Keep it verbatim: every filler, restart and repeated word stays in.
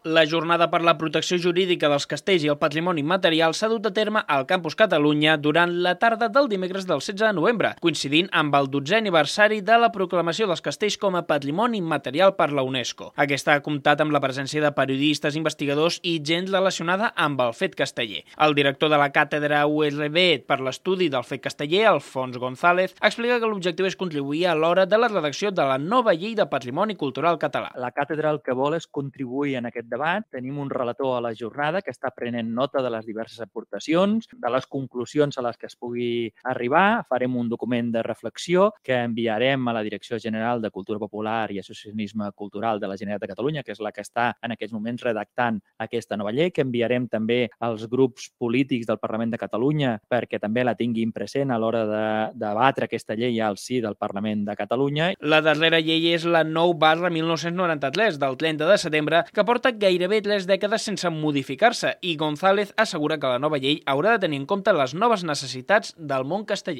La jornada per la protecció jurídica dels castells i el patrimoni immaterial s'ha dut a terme al Campus Catalunya durant la tarda del dimecres del setze de novembre, coincidint amb el dotzè aniversari de la proclamació dels castells com a patrimoni immaterial per la UNESCO. Aquesta ha comptat amb la presència de periodistes, investigadors i gent relacionada amb el fet casteller. El director de la càtedra U R B per l'estudi del fet casteller, Alfons González, explica que l'objectiu és contribuir a l'hora de la redacció de la nova llei de patrimoni cultural català. La càtedra el que vol és contribuir en aquest debat. Tenim un relator a la jornada que està prenent nota de les diverses aportacions, de les conclusions a les que es pugui arribar. Farem un document de reflexió que enviarem a la Direcció General de Cultura Popular i Associacionisme Cultural de la Generalitat de Catalunya, que és la que està en aquests moments redactant aquesta nova llei, que enviarem també als grups polítics del Parlament de Catalunya perquè també la tinguin present a l'hora de debatre aquesta llei al si del Parlament de Catalunya. La darrera llei és la nou barra mil nou-cents noranta-tres del trenta de setembre, que porta gairebé tres dècades sense modificar-se, i González assegura que la nova llei haurà de tenir en compte les noves necessitats del món casteller.